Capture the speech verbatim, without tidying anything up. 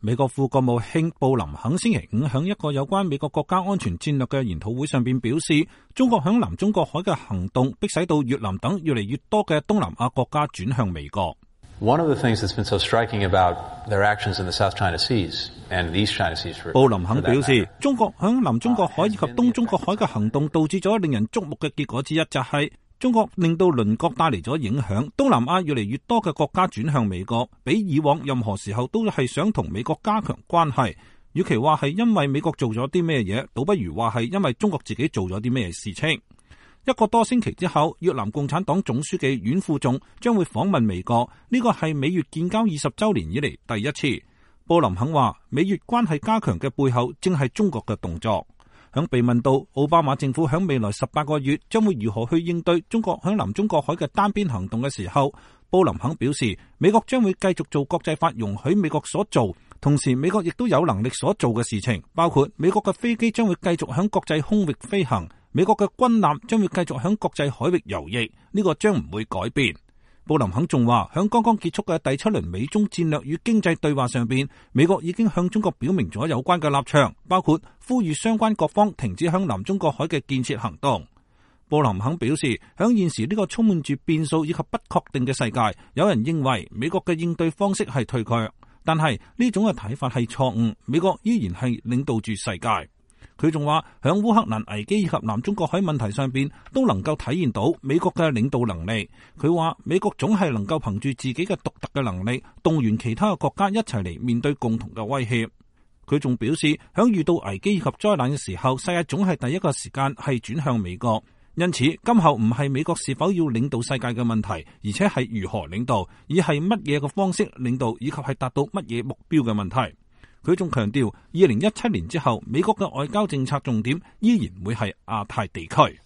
美國副國務卿布林肯星期五響一個有關美國國家安全戰略嘅研討會上邊表示，中國響南中國海嘅行動迫使到越南等越嚟越多嘅東南亞國家轉向美國。One of the things that's been so striking about their actions in the South China Seas and the East China Seas for 布林肯表示，中國響南中國海以及東中國海嘅行動導致咗令人矚目嘅結果之一，就係中國令到鄰國帶嚟咗影響，東南亞越嚟越多嘅國家轉向美國，比以往任何時候都係想同美國加強關係。與其話係因為美國做咗啲咩嘢，倒不如話係因為中國自己做咗啲咩事情。一個多星期之後，越南共產黨總書記阮富仲將會訪問美國，呢個係美越建交二十週年以嚟第一次。布林肯話，美越關係加強嘅背後正係中國嘅動作。響被問到奧巴馬政府響未來十八個月將會如何去應對中國響南中國海嘅單邊行動嘅時候，布林肯表示，美國將會繼續做國際法容許美國所做，同時美國亦都有能力所做嘅事情，包括美國嘅飛機將會繼續響國際空域飛行，美國嘅軍艦將會繼續響國際海域游弋，呢個將唔會改變。布林肯仲話，響剛剛結束嘅第七輪美中戰略與經濟對話上邊，美國已經向中國表明咗有關嘅立場，包括呼籲相關各方停止向南中國海嘅建設行動。布林肯表示，響現時呢個充滿住變數以及不確定嘅世界，有人認為美國嘅應對方式係退卻，但係呢種嘅睇法係錯誤，美國依然係領導住世界。佢仲話，響烏克蘭危機以及南中國海問題上邊都能夠體現到美國嘅領導能力。佢話美國總係能夠憑住自己嘅獨特嘅能力，動員其他嘅國家一齊嚟面對共同嘅威脅。佢仲表示，響遇到危機以及災難嘅時候，世界總係第一個時間係轉向美國。因此，今後唔係美國是否要領導世界嘅問題，而且係如何領導，而係乜嘢嘅方式領導，以及係達到乜嘢目標嘅問題。佢仲強調，二零一七年之後，美國嘅外交政策重點依然會係亞太地區。